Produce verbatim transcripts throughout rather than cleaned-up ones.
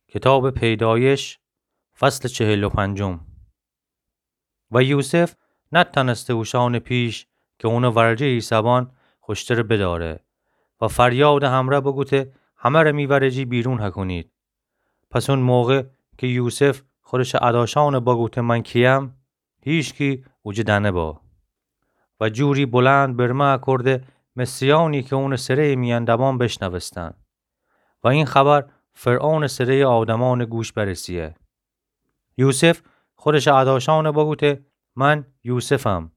کتابٚ پیدایش، فصلٚ چهل و پنجم. و یوسف نتأنسته اوشأنٚ پیش کی اونٚ ورجه ایسه‌بان خوشتر بداره و فریادٚ همرأ بوگوته: همه‌ره می ورجی بیرون هکونید. پس اون موقع کی یوسف خودشٚ اداشأنٚ بوگوته: من کییم؟ هیچکی اوجه دأنه‌بو. و جوری بلند برمه اکرده مصریأنی کی اونٚ سره‌یٚ میأن دبان بشنوستن. و این خبر فرعونٚ سره‌یٚ آدمأنٚ گوش برسه‌یه. یوسف خودشٚ اداشأنٚ بوگوته: من یوسفم.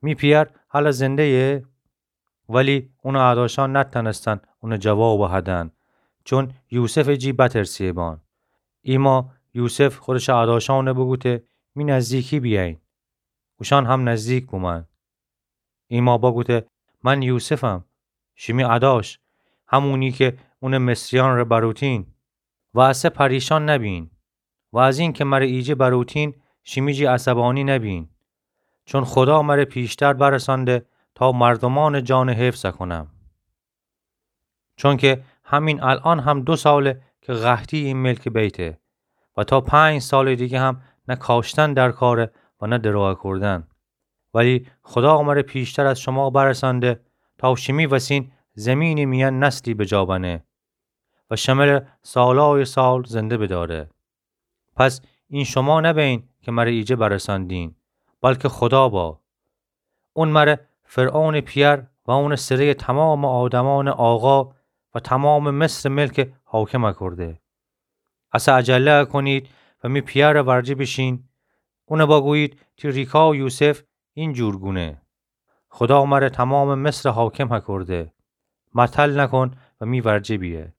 می پیأر هلأ زنده‌یه؟ ولی اونٚ اداشأن نتأنستن اونٚ جواب هدن، چون یوسفٚ جی بترسه‌بان. ایما یوسف خودشٚ اداشأنٚ بوگوته: می نزدیکی بیأیین. اوشأن هم نزدیک بومأن. ایما بوگوته: من یوسفم، شیمی اداش، همونی کی اونٚ مصریأنٚره بروتین. و اسه پریشان نبین. و از اینکی مره ایجه بروتین، شیمی جی عصبأنی نبین. چون خودا مره پیشتر برسأنده تا مردومأنٚ جانٚ حفظ اکونم. چونکی همین الأن هم دو ساله کی قحطی این ملک بیته و تا پنج سالٚ دیگه هم نه کاشتن در کاره و نه درو اکردن. ولی خودا مره پیشتر از شوما برسأنده تا شیمی وسین زمینٚ میأن نسلی بجا بنه و شمره سالأی سال زنده بداره. پس این شوما نبین کی مره ایجه برسأندین، بلکی خودا با. اون مره فرعونٚ پیأر و اونٚ سره‌یٚ تومامٚ آدمأنٚ آقا و تومامٚ مصرٚ ملک حاکم اکرده. اسه عجله اکونید و می پیأرٚ ورجه بیشین. اون بوگویید تی ریکا یوسف این جور گونه: خودا مره تومامٚ مصرٚ حاکم اکرده. متل نکون و می ورجه بیه.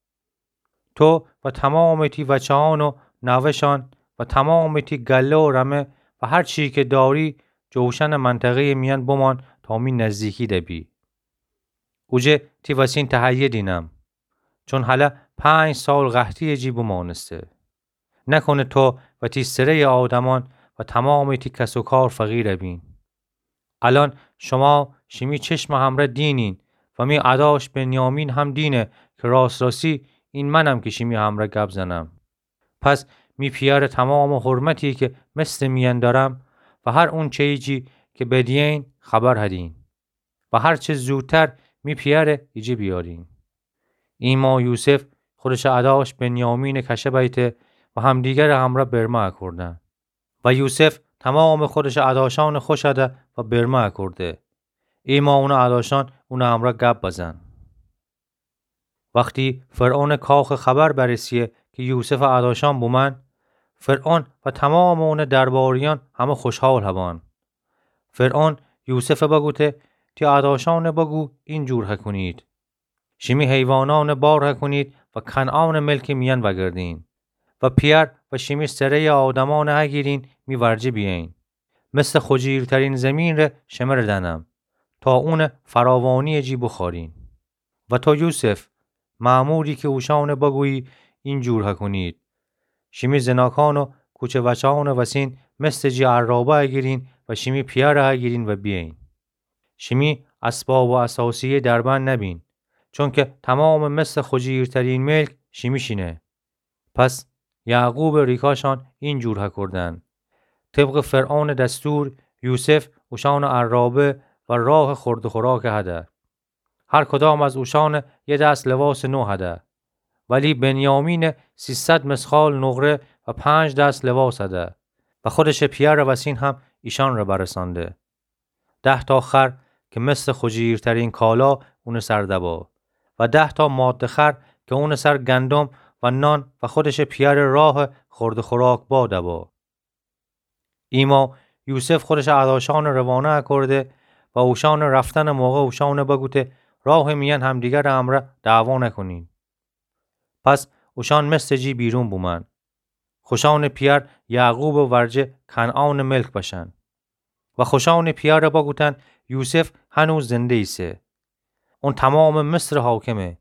تو و تومامٚ تی وچه‌أن و نوه‌شأن و تومامٚ تی گله و رمه و هر چی کی داری، جوشنٚ منطقه‌یٚ میأن بمان تا می نزدیکی دبی. اوجه تی وسین تهیه دینم. چون هلأ پنج سال قحطی‌یٚ جی بمانسته. نکونه تو و تی سره‌یٚ آدمأن و تومامٚ تی کس و کار فقیر بین. الأن شوما شیمی چشمٚ همرأ دینین و می اداش بنیامین هم دینه کی راست راستی این منم کی شیمی همرأ گب زنم. پس می پیأرٚ تومامٚ حرمتی کی مصرٚ میأن دأرم و هر اونچه‌یی جی کی بدیین خبر هدین و هر چه زودتر می پیأره ایجه بیارین. ایما یوسف خودشٚ اداش بنیامینٚ کشه بیته و همدیگرٚ همرأ برمه اکردن. و یوسف تومامٚ خودشٚ اداشأنٚ خوش ده و برمه اکرده. ایما اونٚ اداشأن اونٚ همرأ گب بزن. وختی فرعونٚ کاخٚ خبر برسه‌یه کی یوسفٚ اداشأن بومأن، فرعون و تومامٚ اونٚ درباریأن همه خوشحال هبأن. فرعون یوسف بوگوته: تی اداشأن بوگو این جور هکونید: شیمی حیوانأن بار هکونید و کنعانٚ ملکٚ میأن وأگردین و پیأر و شیمی سره‌یٚ آدمأن هگیرین می ورجه بیأیین. مصرٚ خوجیرترین زمین ره شمره دأنم تا اونٚ فراوانی‌یٚ جی بوخورین. و تو یوسف، مأموری کی اوشأن بوگویی این جور هکونید: شیمی زناکأن و کوچه وچه‌أنٚ وسین مصرٚ جی عرابه هگیرین و شیمی پیأر هگیرین و بیأیین. شیمی اسباب و اثاثیه دربند نبین، چونکی تومامٚ مصرٚ خوجیرترین ملک شیمیشینه. پس یعقوبٚ ریکاشأن این جور هکردن. طبقٚ فرعونٚ دستور یوسف اوشأن عرابه و راه خورد و خوراک هده. هر کدام از اوشأن یه دست لواسٚ نو هده. ولی بنیامین سیصد مثقال نقره و پنج دست لواس هده و خودشٚ پیأرٚ وسین هم ایشأن ره برسأنده. ده تا خر کی مصرٚ خوجیرترین کالا اونٚ سر دبا و ده تا ماده خر کی اونٚ سر گندم و نان و خودشٚ پیأرٚ راه خورد و خوراک با دبا. ایما یوسف خودشٚ اداشأن روانه اکرده و اوشأنٚ رفتنٚ موقع اوشأن بوگوته: راهٚ میأن همدیگرٚ امرأ دعوا نکونین. پس اوشأن مصرٚ جی بیرون بومأن. خوشأنٚ پیأر یعقوبٚ ورجه کنعانٚ ملک بشأن. و خوشأنٚ پیأر بوگوتن: یوسف هنوز زنده ایسه. اون تومامٚ مصرٚ حاکمه.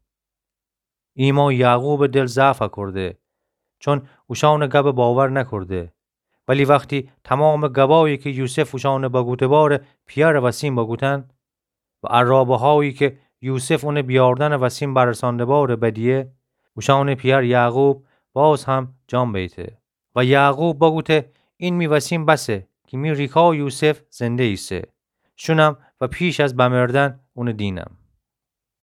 ایما یعقوبٚ دل ضعف اکرده، چون اوشأنٚ گب باور نکرده. ولی وختی تومامٚ گبایی کی یوسف اوشأن بوگوته‌بار پیأرٚ وسین بوگوتن و عرابه‌هایی کی یوسف اون بیاردنٚ وسین برسانده‌بار بدیه، اوشأنٚ پیأر یعقوب باز هم جان بیته. و یعقوب بوگوته: این می وسین بسه کی می ریکا یوسف زنده ایسه. شونم و پیش از بمردن اونه دینم.